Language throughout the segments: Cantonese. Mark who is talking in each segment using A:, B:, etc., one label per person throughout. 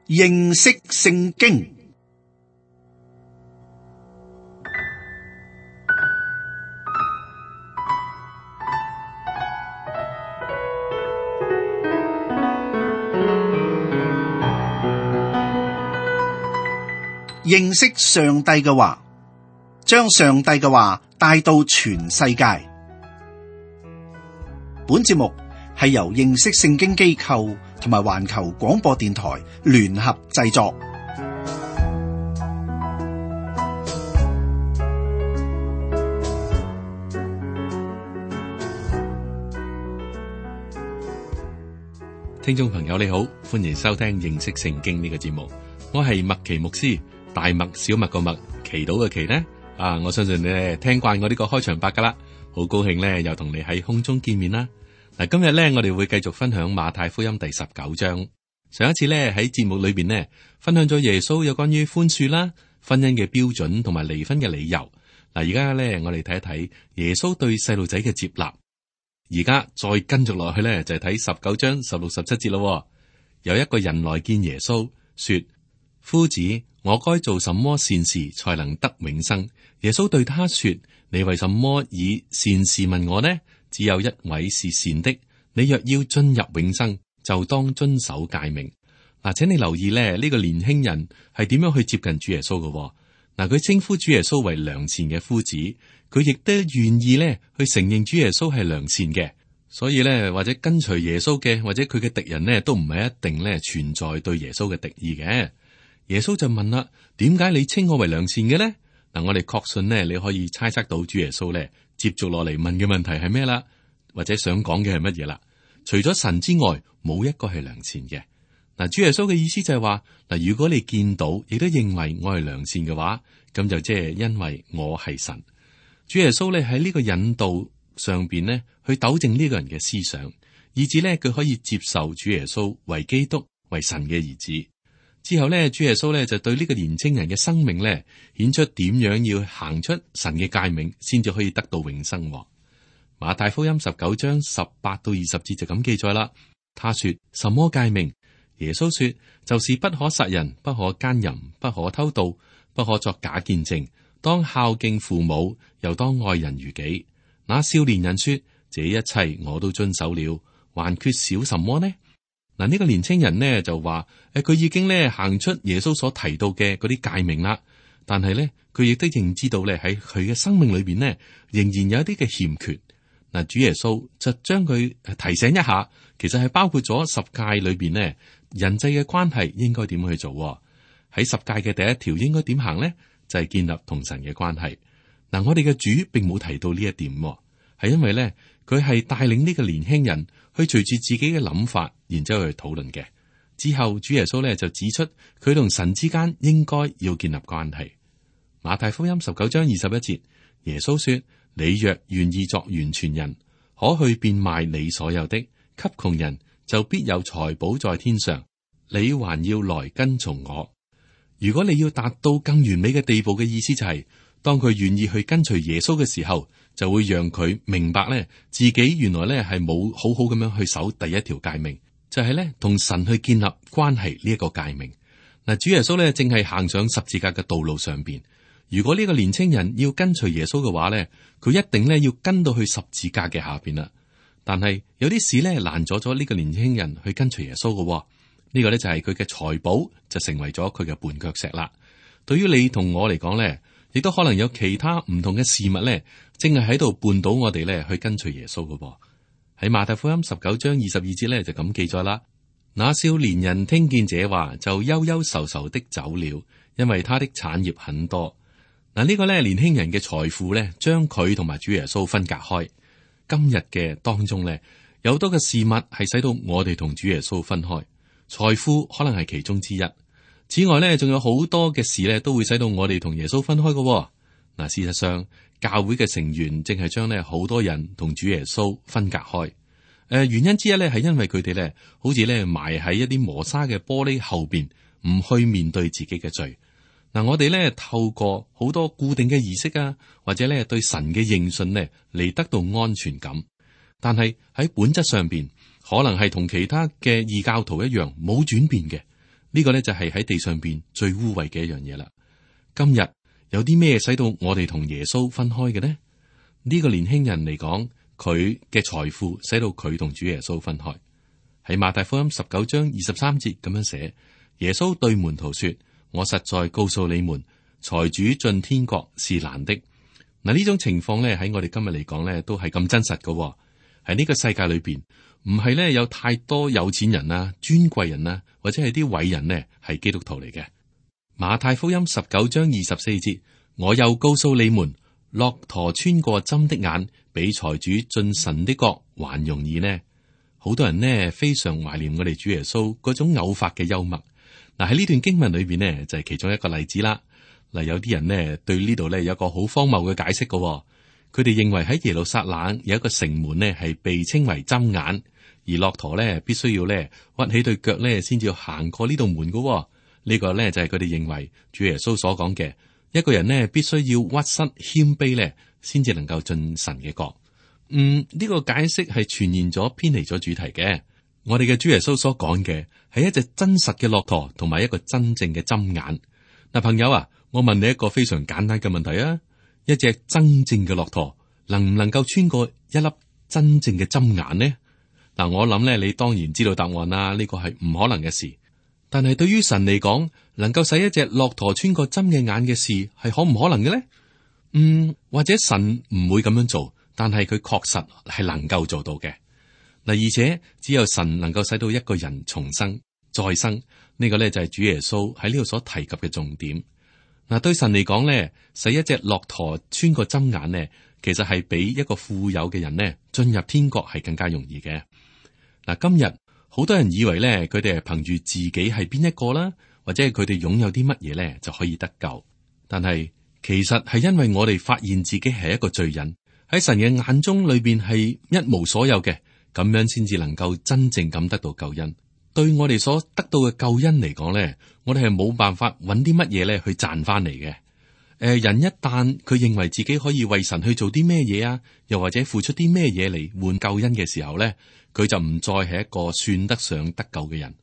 A: 認識聖經。認識上帝嘅話，將上帝嘅話帶到全世界。本節目係由認識聖經機構同埋環球廣播電台聯合製作。
B: 聽眾朋友你好，歡迎收聽認識聖經呢個節目。我係麥奇牧師，大麥小麥個麥，祈禱嘅祈呢？我相信你聽慣我呢個開場白噶啦，好高興咧又同你喺空中見面啦。嗱，今日咧我哋會繼續分享馬太福音第19章。上一次咧喺節目裏邊呢，分享咗耶穌有關於寬恕啦、婚姻嘅標準同埋離婚嘅理由。嗱，而家咧我哋睇一睇耶穌對細路仔嘅接納。而家再跟住落去咧就係睇19章16、17節咯。有一個人來見耶穌，說：夫子，我該做什麼善事才能得永生？耶穌對他說：你為什麼以善事問我呢？只有一位是善的，你若要進入永生，就當遵守誡命。嗱，請你留意咧，呢個年輕人係點樣去接近主耶穌嘅。嗱，佢稱呼主耶穌為良善嘅夫子，佢亦都願意咧去承認主耶穌係良善嘅。所以咧，或者跟隨耶穌嘅，或者佢嘅敵人呢，都唔係一定咧存在對耶穌嘅敵意嘅。耶穌就問啦：點解你稱我為良善嘅呢？嗱，我哋確信呢，你可以猜測到主耶穌咧接續落嚟問嘅問題係咩啦，或者想講嘅係乜嘢啦？除咗神之外，冇一個係良善嘅。嗱，主耶穌嘅意思就係話，嗱，如果你見到亦都認為我係良善嘅話，咁就即係因為我係神。主耶穌咧喺呢個引導上邊呢，去糾正呢個人嘅思想，以致呢，佢可以接受主耶穌為基督、為神嘅兒子。之後咧，主耶穌咧就對呢個年青人嘅生命咧，顯出點樣要行出神嘅誡命，先至可以得到永生。馬太福音19章18到20節就咁記載啦。他說：什麼誡命？耶穌說：就是不可殺人，不可姦淫，不可偷盜，不可作假見證，當孝敬父母，又當愛人如己。那少年人說：這一切我都遵守了，還缺少什麼呢？嗱，呢個年青人呢就話：佢已經咧行出耶穌所提到嘅嗰啲誡命啦，但係咧佢亦都認知道咧喺佢嘅生命裏邊呢，仍然有一啲嘅欠缺。嗱，主耶穌就將佢提醒一下，其實係包括咗十誡裏邊呢，人際嘅關係應該點去做。喺十誡嘅第一條應該點行呢？就係建立同神嘅關係。嗱，我哋嘅主並冇提到呢一點，係因為咧佢係帶領呢個年輕人去隨住自己嘅諗法，然之後去討論嘅。之後主耶穌咧就指出佢同神之間應該要建立關係。馬太福音19章21節，耶穌說：你若願意作完全人，可去變賣你所有的，給窮人，就必有財寶在天上。你還要來跟從我。如果你要達到更完美嘅地步嘅意思就係，當佢願意去跟隨耶穌嘅時候，就會讓佢明白咧，自己原來咧係冇好好咁樣去守第一條誡命，就係咧同神去建立關係呢一個誡命。嗱，主耶穌咧正係行上十字架嘅道路上邊。如果呢個年青人要跟隨耶穌嘅話咧，佢一定咧要跟到去十字架嘅下邊啦。但係有啲事咧攔阻咗呢個年輕人去跟隨耶穌嘅。呢個咧就係佢嘅財寶就成為咗佢嘅絆腳石啦。對於你同我嚟講咧，亦都可能有其他唔同嘅事物咧，正係喺度絆倒我哋咧去跟隨耶穌嘅。喺馬太福音19章22節咧就咁記載啦。那少年人聽見這話，就憂憂愁愁的走了，因為他的產業很多。嗱，呢個咧年輕人嘅財富咧，將佢同埋主耶穌分隔開。今日嘅當中咧，有好多嘅事物係使到我哋同主耶穌分開，財富可能係其中之一。此外咧，仲有好多嘅事咧，都會使到我哋同耶穌分開嘅。嗱，事實上，教會嘅成員正係將咧好多人同主耶穌分隔開。原因之一咧，係因為佢哋咧，好似咧埋喺一啲磨砂嘅玻璃後邊，唔去面對自己嘅罪。嗱，我哋咧透過好多固定嘅儀式啊，或者咧對神嘅認信咧，嚟得到安全感。但係喺本質上邊，可能係同其他嘅異教徒一樣冇轉變嘅。呢個咧就係喺地上邊最污穢嘅一樣嘢啦。今日有啲咩使到我哋同耶穌分開嘅呢？呢個年輕人嚟講，佢嘅財富使到佢同主耶穌分開。喺馬太福音19章23節咁樣寫，耶穌對門徒說：我實在告訴你們，財主進天國是難的。嗱，呢種情況咧喺我哋今日嚟講咧都係咁真實嘅。喺呢個世界裏邊，唔係咧有太多有錢人啊、尊貴人啊，或者係啲偉人呢係基督徒嚟嘅。馬太福音19章24節，我又告訴你們，駱駝穿過針的眼，比財主進神的國還容易呢。好多人呢非常懷念我哋主耶穌嗰種偶發嘅幽默。嗱，喺呢段經文裏邊呢就係其中一個例子啦。嗱，有啲人呢對呢度呢有一個好荒謬嘅解釋嘅，佢哋認為喺耶路撒冷有一個城門呢係被稱為針眼，而駱駝呢必須要呢屈起對腳呢先至行過呢道門嘅。呢個咧就係佢哋認為主耶穌所講嘅，一個人呢必須要屈膝謙卑咧，先至能夠進神嘅國。呢個解釋係全然咗偏離咗主題嘅。我哋嘅主耶穌所講嘅係一隻真實嘅駱駝，同埋一個真正嘅針眼。嗱，朋友啊，我問你一個非常簡單嘅問題啊，一隻真正嘅駱駝能唔能夠穿過一粒真正嘅針眼呢？嗱，我諗咧，你當然知道答案啦，呢個係唔可能嘅事。但係對於神嚟講，能夠使一隻駱駝穿過針嘅眼嘅事，係可唔可能嘅呢？或者神唔會咁樣做，但係佢確實係能夠做到嘅。嗱，而且只有神能夠使到一個人重生再生，呢個咧就係主耶穌喺呢度所提及嘅重點。嗱，對神嚟講咧，使一隻駱駝穿過針眼呢，其實係比一個富有嘅人呢進入天國係更加容易嘅。嗱，今日好多人以為咧，佢哋係憑住自己係邊一個啦，或者係佢哋擁有啲乜嘢咧就可以得救。但係其實係因為我哋發現自己係一個罪人，喺神嘅眼中裏邊係一無所有嘅，咁樣先至能夠真正咁得到救恩。對我哋所得到嘅救恩嚟講咧，我哋係冇辦法揾啲乜嘢咧去賺翻嚟嘅。人一旦佢認為自己可以為神去做啲咩嘢啊，又或者付出啲咩嘢嚟換救恩嘅時候咧，佢就唔再係一個算得上得救嘅人。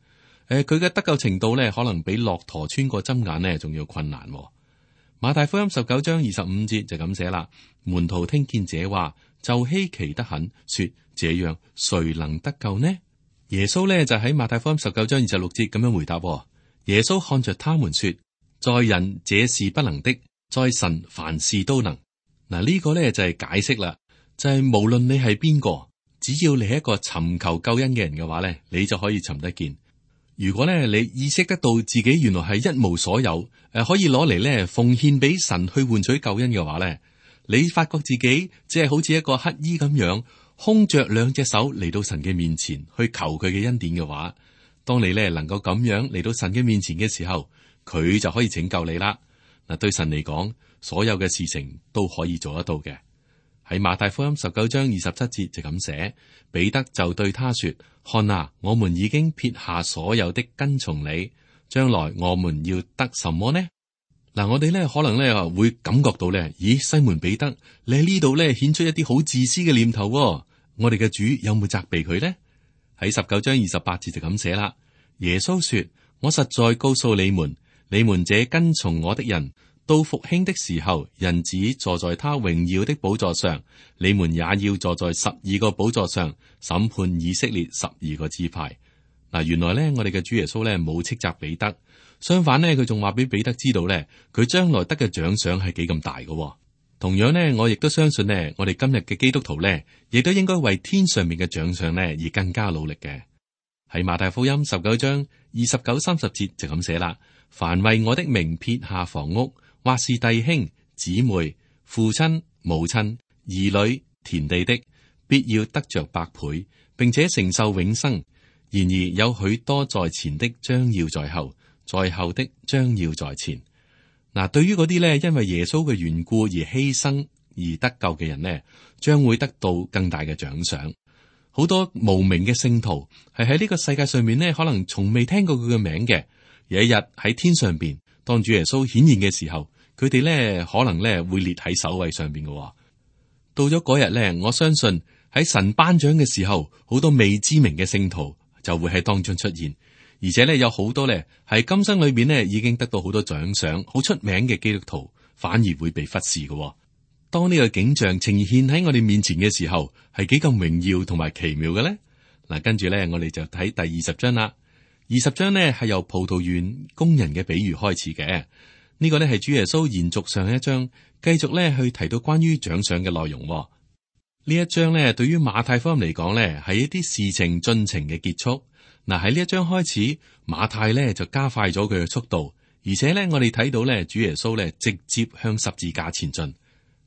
B: 佢嘅得救程度咧，可能比駱駝穿過針眼呢仲要困難。馬太福音19章25節就咁寫啦，門徒聽見這話就稀奇得很，說：這樣誰能得救呢？耶穌咧就喺馬太福音19章26節咁樣回答。耶穌看着他們說：在人這是不能的，在神凡事都能。嗱，呢個咧就係解釋啦，就係無論你係邊個，只要你係一個尋求救恩嘅人嘅話咧，你就可以尋得見。如果咧你意識得到自己原來係一無所有，可以攞嚟咧奉獻俾神去換取救恩嘅話咧，你發覺自己只係好似一個乞衣咁樣，空着兩隻手嚟到神嘅面前去求佢嘅恩典嘅話，當你咧能夠咁樣嚟到神嘅面前嘅時候，佢就可以拯救你啦。嗱，對神嚟講，所有嘅事情都可以做得到嘅。喺馬太福音19章27節就咁寫，彼得就對他說：看啊，我們已經撇下所有的跟從你，將來我們要得什麼呢？嗱，我哋咧可能咧會感覺到咧，咦，西門彼得，你喺呢度咧顯出一啲好自私嘅念頭。我哋嘅主有冇責備佢呢？喺19章28節就咁寫啦。耶穌說：我實在告訴你們，你們這跟從我的人，到復興的時候，人子坐在他榮耀的寶座上，你們也要坐在12個寶座上，審判以色列12個支派。嗱，原來咧我哋嘅主耶穌咧冇斥責彼得，相反咧佢仲話俾彼得知道咧，佢將來得嘅獎賞係幾咁大嘅。同樣呢，我亦都相信呢，我哋今日嘅基督徒呢，亦都應該為天上面嘅獎賞呢而更加努力嘅。喺馬太福音19章29、30節就咁寫啦：凡為我的名撇下房屋，或是弟兄姊妹、父親母親、兒女、田地的，必要得着百倍，並且承受永生。然而有許多在前的將要在後，在後的將要在前。嗱，對於嗰啲咧因為耶穌嘅緣故而犧牲而得救嘅人呢，將會得到更大嘅獎賞。好多無名嘅聖徒係喺呢個世界上面呢，可能從未聽過佢嘅名嘅。有一日喺天上邊，當主耶穌顯現嘅時候，佢哋咧可能咧會列喺首位上邊嘅。到咗嗰日咧，我相信喺神頒獎嘅時候，好多未知名嘅聖徒就會喺當中出現，而且咧有好多咧係今生裏邊咧已經得到好多獎賞、好出名嘅基督徒，反而會被忽視嘅。當呢個景象呈現喺我哋面前嘅時候，係幾咁榮耀同埋奇妙嘅咧？嗱，跟住咧我哋就睇第20章啦。20章呢係由葡萄園工人嘅比喻開始嘅。呢個呢係主耶穌延續上一章，繼續咧去提到關於獎賞嘅內容。呢一章呢對於馬太福音嚟講呢係一啲事情進程嘅結束。嗱，喺呢一章開始，馬太呢就加快咗佢嘅速度，而且呢我哋睇到呢主耶穌呢直接向十字架前進。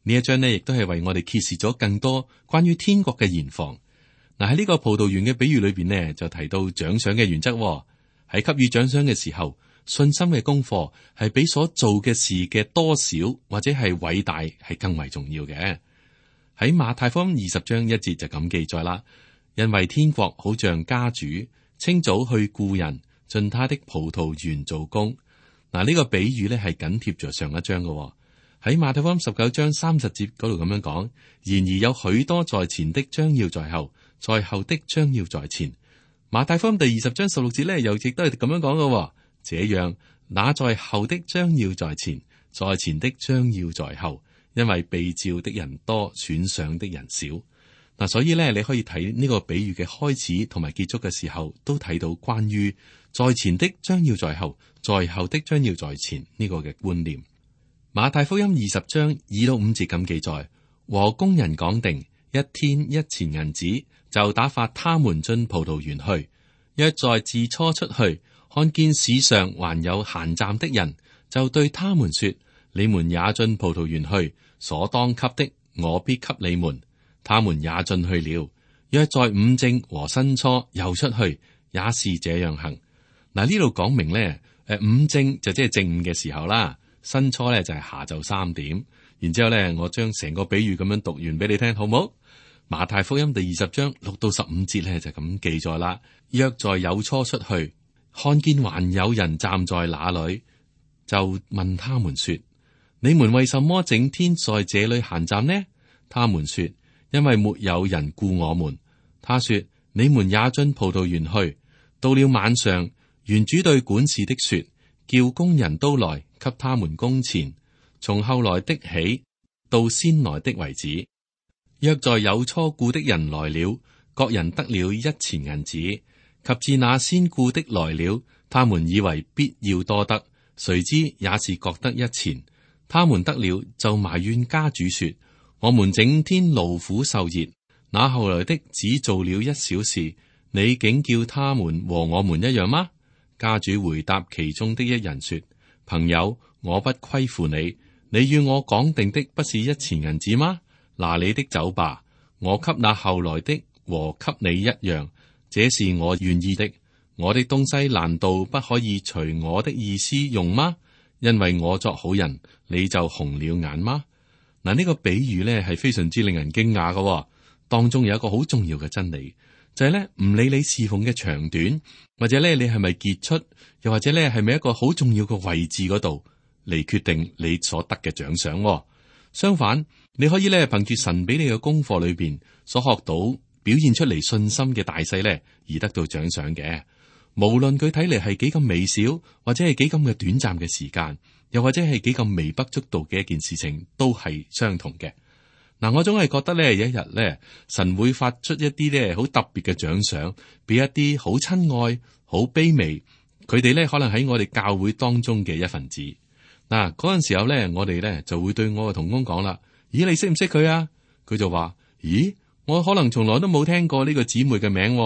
B: 呢一章呢亦都係為我哋揭示咗更多關於天國嘅現況。嗱，喺呢個葡萄園嘅比喻裏邊呢，就提到獎賞嘅原則。喺給予獎賞嘅時候，信心嘅功課係比所做嘅事嘅多少或者係偉大係更為重要嘅。喺馬太福音20章1節就咁記載啦，因為天國好像家主清早去雇人進他的葡萄園做工。嗱，呢個比喻咧係緊貼着上一章嘅。喺馬太福音19章30節嗰度咁樣講，然而有許多在前的將要在後，在後的將要在前。馬太福音第20章16節咧，又亦都係咁樣講嘅。這樣，那在後的將要在前，在前的將要在後，因為被召的人多，選上的人少。嗱，所以咧，你可以睇呢個比喻嘅開始同埋結束嘅時候，都睇到關於在前的將要在後，在後的將要在前呢個嘅觀念。馬太福音20章2到5節咁記載，和工人講定1天1錢銀子，就打發他們進葡萄園去。約在巳初出去，看見市上還有閒站的人，就對他們說：你們也進葡萄園去，所當給的，我必給你們。他們也進去了。約在午正和申初又出去，也是這樣行。嗱，呢度講明咧，午正就即係正午嘅時候啦，申初咧就係下晝3點。然之後咧，我將成個比喻咁樣讀完俾你聽，好唔好？馬太福音第20章6到15節咧就咁記載啦。約在酉初出去，看見還有人站在那裏，就問他們說：你們為什麼整天在這裏閒站呢？他們說：因為沒有人雇我們。他說：你們也進葡萄園去。到了晚上，園主對管事的說：叫工人都來，給他們工錢，從後來的起，到先來的為止。約在酉初雇的人來了，各人得了1錢銀子。及至那先雇的來了，他們以為必要多得，誰知也是各得1錢。他們得了，就埋怨家主說：我們整天勞苦受熱，那後來的只做了1小時，你竟叫他們和我們一樣嗎？家主回答其中的一人說：朋友，我不虧負你，你與我講定的不是1錢銀子嗎？拿你的走吧，我給那後來的和給你一樣，這是我願意的。我的東西難道不可以隨我的意思用嗎？因為我作好人，你就紅了眼嗎？嗱，呢個比喻咧係非常之令人驚訝嘅，當中有一個好重要嘅真理，就係咧唔理你侍奉嘅長短，或者咧你係咪傑出，又或者咧係咪一個好重要嘅位置嗰度嚟決定你所得嘅獎賞。相反，你可以咧憑住神俾你嘅功課裏邊所學到表現出嚟信心嘅大細咧，而得到獎賞嘅。無論佢睇嚟係幾咁微小，或者係幾咁嘅短暫嘅時間，又或者係幾咁微不足道嘅一件事情，都係相同嘅。嗱，我總係覺得咧，有一日咧，神會發出一啲咧好特別嘅獎賞，俾一啲好親愛、好卑微，佢哋咧可能喺我哋教會當中嘅一份子。嗱，嗰陣時候咧，我哋咧就會對我嘅同工講啦：咦，你識唔識佢啊？佢就話：咦，我可能從來都冇聽過呢個姊妹嘅名，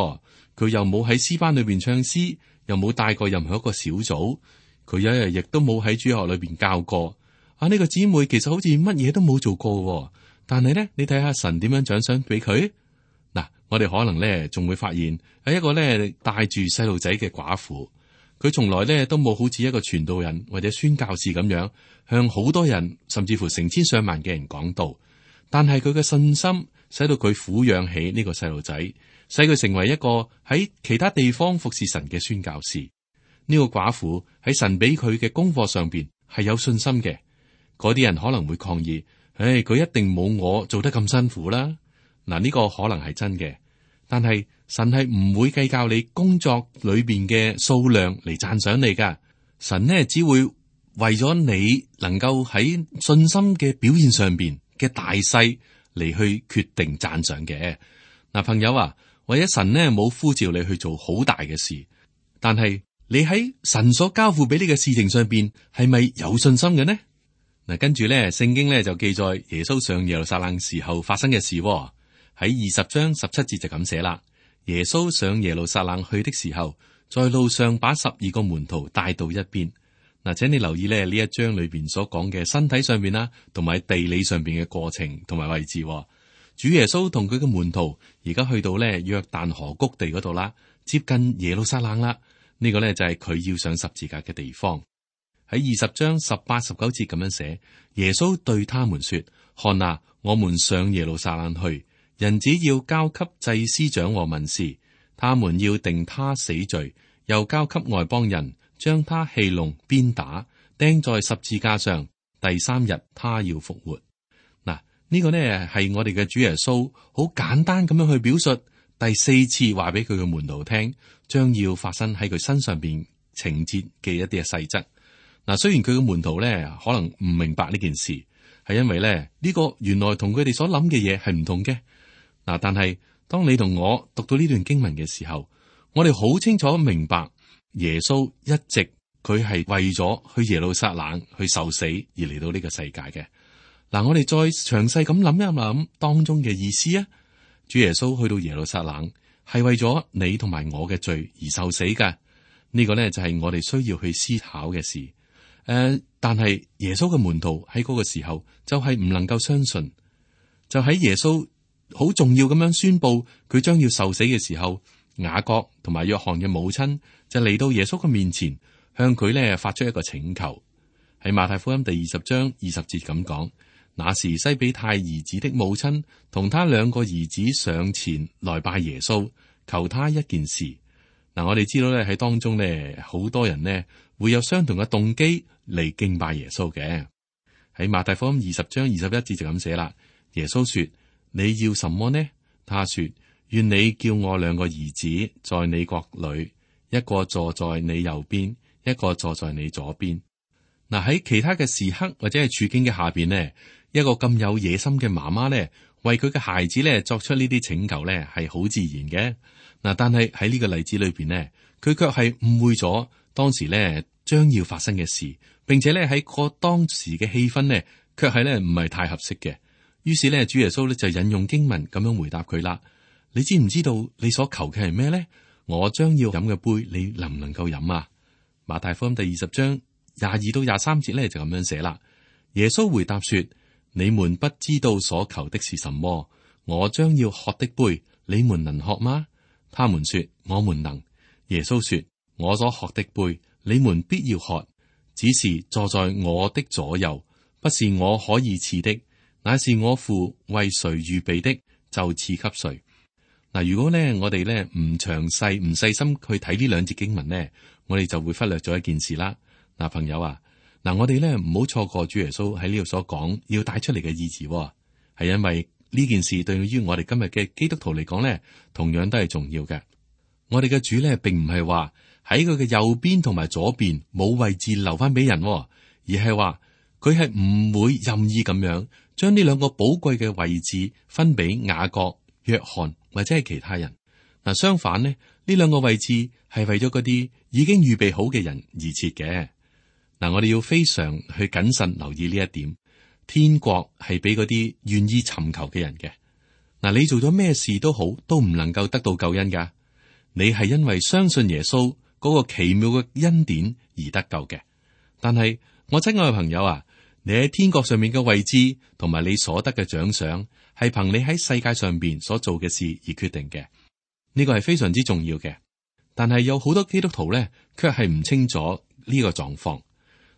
B: 佢又冇喺詩班裏邊唱詩，又冇帶過任何一個小組，佢一日亦都冇喺主學裏邊教過。啊，呢個姊妹其實好似乜嘢都冇做過，但係咧，你睇下神點樣獎賞俾佢。嗱，我哋可能咧仲會發現係一個咧帶住細路仔嘅寡婦。佢從來咧都冇好似一個傳道人或者宣教士咁樣向好多人，甚至乎成千上萬嘅人講道。但係佢嘅信心使到佢撫養起呢個細路仔，使佢成為一個喺其他地方服侍神嘅宣教士。呢個寡婦喺神俾佢嘅功課上邊係有信心嘅。嗰啲人可能會抗議：佢一定冇我做得咁辛苦啦。嗱，呢個可能係真嘅，但係神係唔會計較你工作裏邊嘅數量嚟讚賞你噶。神呢只會為咗你能夠喺信心嘅表現上邊嘅大細嚟去決定讚賞嘅。嗱，朋友啊，或者神呢冇呼召你去做好大嘅事，但係你喺神所交付俾你嘅事情上邊係咪有信心嘅呢？嗱，跟住咧，聖經咧就記載耶穌上耶路撒冷時候發生嘅事喎。喺20章17節就咁寫啦。耶穌上耶路撒冷去的時候，在路上把12個門徒帶到一邊。嗱，請你留意咧呢一章裏邊所講嘅身體上邊啦，同埋地理上邊嘅過程同埋位置喎。主耶穌同佢嘅門徒而家去到咧約旦河谷地嗰度啦，接近耶路撒冷啦。呢個咧就係佢要上十字架嘅地方。喺20章18、19節咁樣寫，耶穌對他們說：看啊，我們上耶路撒冷去。人子要交給祭司長和文士，他們要定他死罪，又交給外邦人，將他戲弄、鞭打，釘在十字架上。第3日，他要復活。嗱，呢個呢係我哋嘅主耶穌好簡單咁樣去表述第4次話俾佢嘅門徒聽，將要發生喺佢身上邊情節嘅一啲嘅細則。嗱，雖然佢嘅門徒呢可能唔明白呢件事，係因為咧呢個原來同佢哋所諗嘅嘢係唔同嘅。嗱，但係當你同我讀到呢段經文嘅時候，我哋好清楚明白耶穌一直佢係為咗去耶路撒冷去受死而嚟到呢個世界嘅。嗱，我哋再詳細咁諗一諗當中嘅意思啊。主耶穌去到耶路撒冷係為咗你同埋我嘅罪而受死㗎。呢個呢就係我哋需要去思考嘅事。但係耶穌嘅門徒喺嗰個時候就係唔能夠相信，就喺耶穌好重要咁樣宣布佢將要受死嘅時候，雅各同埋約翰嘅母親就嚟到耶穌嘅面前，向佢咧發出一個請求。喺馬太福音第20章20節咁講，那時西比泰兒子的母親同他2個兒子上前來拜耶穌，求他一件事。嗱，我哋知道咧喺當中咧，好多人呢會有相同嘅動機嚟敬拜耶穌嘅。喺馬太福音20章21節就咁寫啦，耶穌說：你要什麼呢？他說：願你叫我2個兒子在你國裏，一個坐在你右邊，一個坐在你左邊。嗱，喺其他嘅時刻或者係處境嘅下邊呢，一個咁有野心嘅媽媽呢，為佢嘅孩子呢作出呢啲請求呢，係好自然嘅。嗱，但係喺呢個例子裏邊呢，佢卻係誤會咗當時呢將要發生嘅事，並且呢喺個當時嘅氣氛呢，卻係呢唔係太合適嘅。於是呢，主耶穌呢就引用經文咁樣回答佢啦。你知唔知道你所求嘅係咩呢？我將要飲嘅杯，你能唔能夠飲啊？馬太福音第20章22到23節呢就咁樣寫啦。耶穌回答說：你們不知道所求的是什麼，我將要喝的杯，你們能喝嗎？他們說：我們能。耶穌說：我所喝的杯，你們必要喝，只是坐在我的左右，不是我可以賜的，乃是我父為誰預備的，就賜給誰。嗱，如果咧我哋咧唔詳細唔細心去睇呢2節經文咧，我哋就會忽略咗一件事啦。嗱，朋友啊，嗱，我哋咧唔好錯過主耶穌喺呢度所講要帶出嚟嘅意義，係因為呢件事對於我哋今日嘅基督徒嚟講咧，同樣都係重要嘅。我哋嘅主咧，並唔係話喺佢嘅右邊同埋左邊冇位置留翻俾人，而係話佢係唔會任意咁樣將呢2個寶貴嘅位置分俾雅各、約翰或者係其他人。嗱，相反呢，呢2個位置係為咗嗰啲已經預備好嘅人而設嘅。嗱，我哋要非常去謹慎留意呢一點。天國係俾嗰啲願意尋求嘅人嘅。嗱，你做咗咩事都好，都唔能夠得到救恩噶。你係因為相信耶穌嗰個奇妙嘅恩典而得救嘅。但係我親愛嘅朋友啊，你喺天國上面嘅位置同埋你所得嘅獎賞，係憑你喺世界上邊所做嘅事而決定嘅。呢個係非常之重要嘅。但係有好多基督徒咧，卻係唔清楚呢個狀況。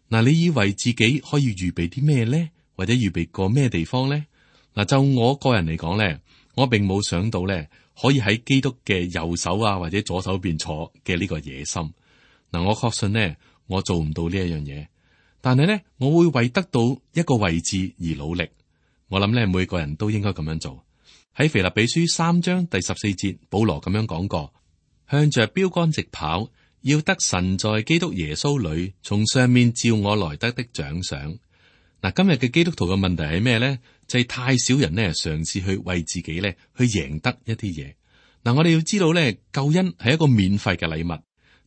B: 嗱，你以為自己可以預備啲咩咧？或者預備過咩地方咧？嗱，就我個人嚟講咧，我並冇想到咧，可以喺基督嘅右手啊或者左手邊坐嘅呢個野心。嗱，我確信呢，我做唔到呢一樣嘢。但係咧，我會為得到一個位置而努力。我諗咧，每個人都應該咁樣做。喺腓立比書3章第14節，保羅咁樣講過：向着標竿直跑，要得神在基督耶穌裏從上面召我來得的獎賞。嗱，今日嘅基督徒嘅問題係咩呢？就係太少人呢嘗試去為自己呢去贏得一啲嘢。嗱，我哋要知道呢，救恩係一個免費嘅禮物，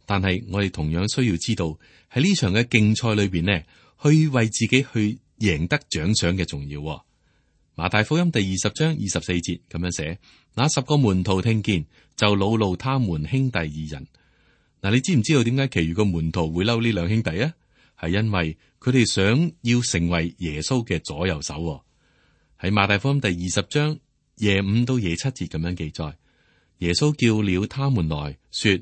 B: 但係我哋同樣需要知道喺呢場嘅競賽裏邊呢，去為自己去贏得獎賞嘅重要。馬太福音第20章24節咁樣寫：那10個門徒聽見，就惱怒他們兄弟2人。嗱，你知唔知道點解其餘個門徒會嬲呢兩兄弟啊？係因為佢哋想要成為耶穌嘅左右手。喺馬太福音第20章25到27節咁樣記載，耶穌叫了他們來說：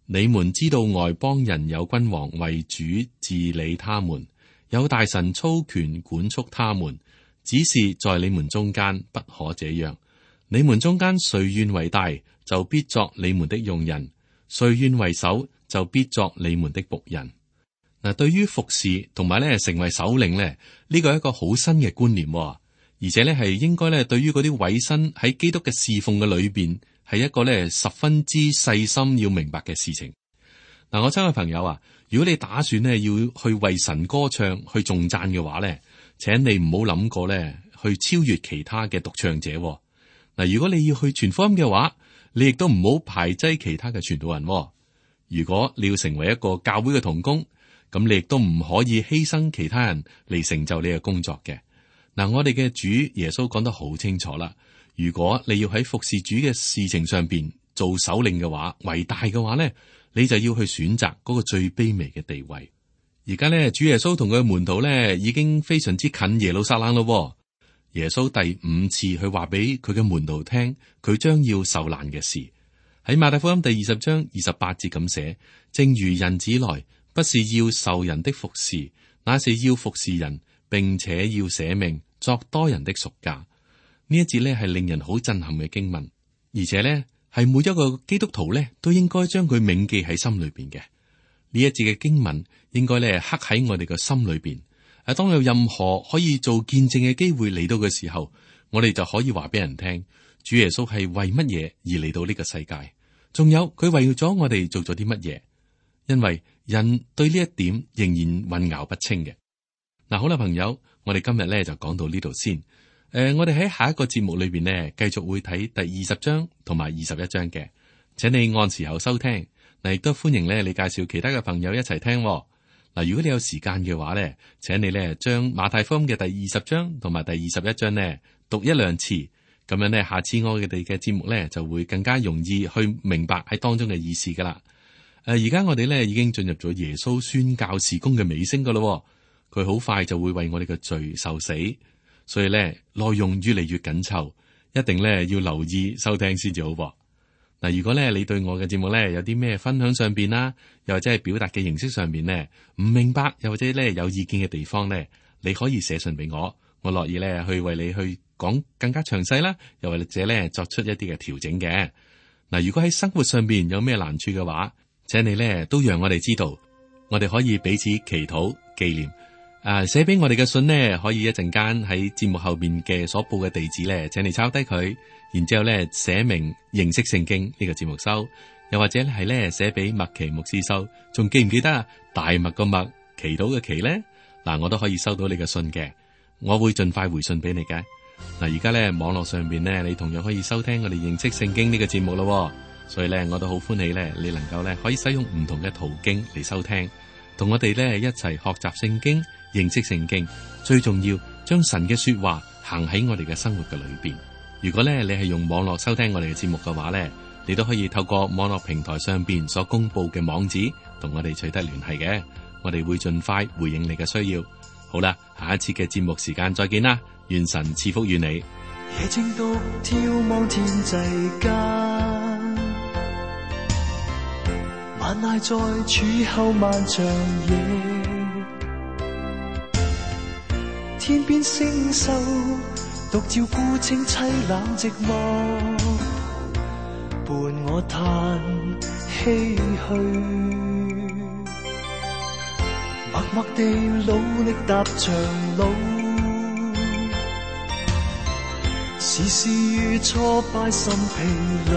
B: 你們知道外邦人有君王為主治理他們，有大臣操權管束他們。只是在你們中間不可這樣。你們中間誰願為大，就必作你們的用人；誰願為首，就必作你們的僕人。嗱，對於服侍同埋咧成為首領咧，呢個係一個好新嘅觀念，而且咧係應該咧對於嗰啲委身喺基督嘅侍奉嘅裏邊，係一個咧十分之細心要明白嘅事情。嗱，我親愛嘅朋友啊，如果你打算咧要去為神歌唱去頌讚嘅話咧，請你唔好諗過咧，去超越其他嘅獨唱者。嗱，如果你要去傳福音嘅話，你亦都唔好排擠其他嘅傳道人。如果你要成為一個教會嘅同工，咁你亦都唔可以犧牲其他人嚟成就你嘅工作嘅。嗱，我哋嘅主耶穌講得好清楚啦。如果你要喺服侍主嘅事情上邊做首領嘅話，為大嘅話咧，你就要去選擇嗰個最卑微嘅地位。而家咧，主耶穌同佢嘅門徒咧，已經非常之近耶路撒冷咯。耶穌第5次去話俾佢嘅門徒聽，佢將要受難嘅事。喺馬太福音第20章28節咁寫：正如人子來，不是要受人的服侍，乃是要服侍人，並且要捨命作多人的贖價。呢一節咧係令人好震撼嘅經文，而且咧係每一個基督徒咧都應該將佢銘記喺心裏邊嘅。呢一節嘅經文應該咧刻喺我哋嘅心裏邊。當有任何可以做見證嘅機會嚟到嘅時候，我哋就可以話俾人聽，主耶穌係為乜嘢而嚟到呢個世界，仲有佢為咗我哋做咗啲乜嘢。因為人對呢一點仍然混淆不清嘅。嗱，好啦，朋友，我哋今日咧就講到呢度先。我哋喺下一個節目裏邊呢，繼續會睇第20章同埋21章嘅，請你按時候收聽。嗱，亦都歡迎咧你介紹其他嘅朋友一齊聽。嗱，如果你有時間嘅話咧，請你咧將馬太福音嘅第20章同埋第21章咧讀1-2次，咁樣咧下次我哋嘅節目咧就會更加容易去明白喺當中嘅意思噶啦。而家我哋咧已經進入咗耶穌宣教事工嘅尾聲噶咯，佢好快就會為我哋嘅罪受死，所以咧內容越嚟越緊湊，一定咧要留意收聽先至好噃。嗱，如果咧你對我嘅節目咧有啲咩分享上邊啦，又或者係表達嘅形式上邊咧唔明白，又或者咧有意見嘅地方咧，你可以寫信俾我，我樂意咧去為你去講更加詳細啦，又或者咧作出一啲嘅調整嘅。嗱，如果喺生活上邊有咩難處嘅話，請你咧都讓我哋知道，我哋可以彼此祈禱紀念。寫俾我哋嘅信呢，可以一陣間喺節目後邊嘅所報嘅地址咧，請你抄低佢，然之後咧寫明認識聖經呢個節目收，又或者係咧寫俾麥奇牧師收，仲記唔記得啊？大麥個麥，祈禱嘅祈咧，嗱，我都可以收到你嘅信嘅，我會盡快回信俾你嘅。嗱，而家咧網絡上邊咧，你同樣可以收聽我哋認識聖經呢個節目咯，所以咧我都好歡喜咧，你能夠咧可以使用唔同嘅途徑嚟收聽，同我哋咧一齊學習聖經。認識聖經，最重要將神嘅說話行喺我哋嘅生活嘅裏邊。如果咧你係用網絡收聽我哋嘅節目嘅話咧，你都可以透過網絡平台上邊所公布嘅網址同我哋取得聯繫嘅，我哋會盡快回應你嘅需要。好啦，下一次嘅節目時間再見啦，願神賜福於你。
C: 夜靜獨眺望天際間，晚挨在柱後漫長夜，天邊星宿獨照孤清凄冷寂寞，伴我嘆唏噓，默默地努力踏長路，時時如挫敗心疲累，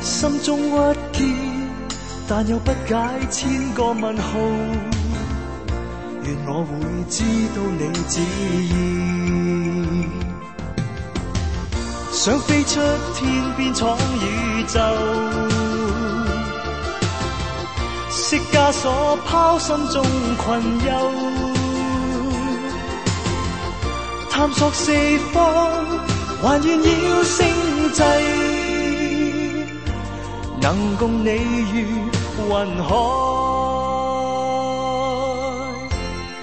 C: 心中鬱結，但又不解千個問號。願我會知道你旨意，想飛出天邊闖宇宙，釋枷鎖拋心中困憂，探索四方，還願要星際，能共你如雲海。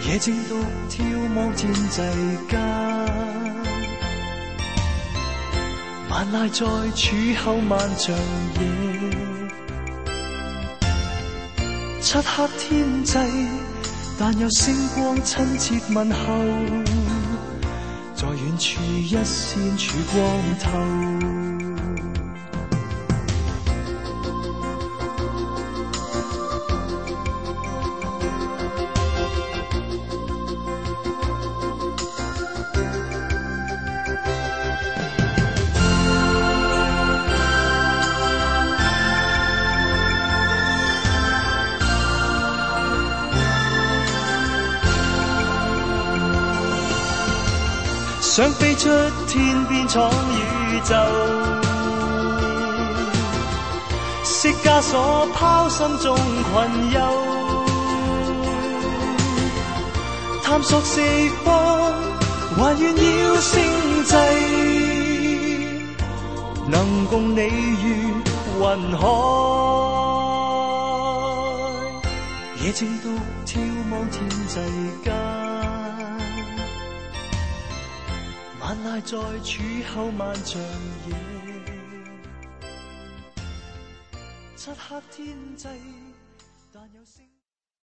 C: 野正獨眺望天際間，萬籟在柱後漫長夜，漆黑天際，但有星光親切問候，在遠處一線曙光透。想飛出天邊闖宇宙，釋枷鎖拋心中困憂，探索四方，還願要星際，能共你如雲海。野正獨眺望天際間，萬籟在柱後漫長夜，漆黑天際，但有星。